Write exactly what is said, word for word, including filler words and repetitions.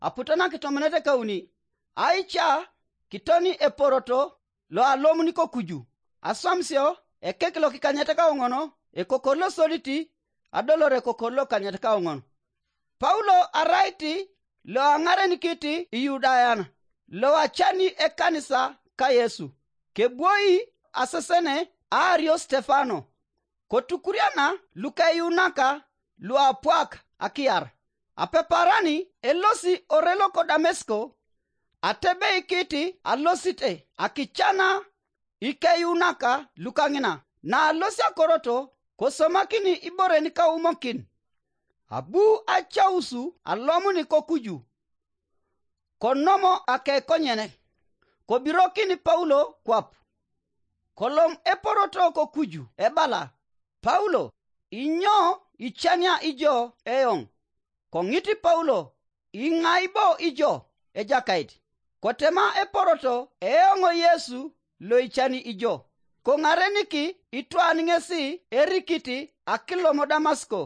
aputo nakitomonet ekauni, aica kitoni eporoto lo alomuni kokuju, aswamisio ekek lokikanyet kaoŋon, ekokor losodit, adolor ekokor lokanyet kaoŋon. Paulo arait lo aŋarenikit Iyudayan, lo acani ekanisa ka Yesu, kebwoi asesene aario Stefano, kotukuriana lukeyuunaka luapwak akiyar. Apeparani elosi ore loko Damesko, atebeikit alosite akicana ikeyuunaka lukaŋina. Naalosi akoroto, kosomakini iboren kaumokin, abu acausu alomuni kokuju, konom akekonyene, kobirokin Paulo kwap. Kolom eporoto kokuju ebala, "Paulo, inyo icania ijo eoŋ?" Koŋit Paulo, "Iŋai bo ijo, Ejakait?" Kotema eporoto, "Eoŋ Yesu lo icani ijo." Koŋareniki itwan ŋesi erikit akilom Damasko,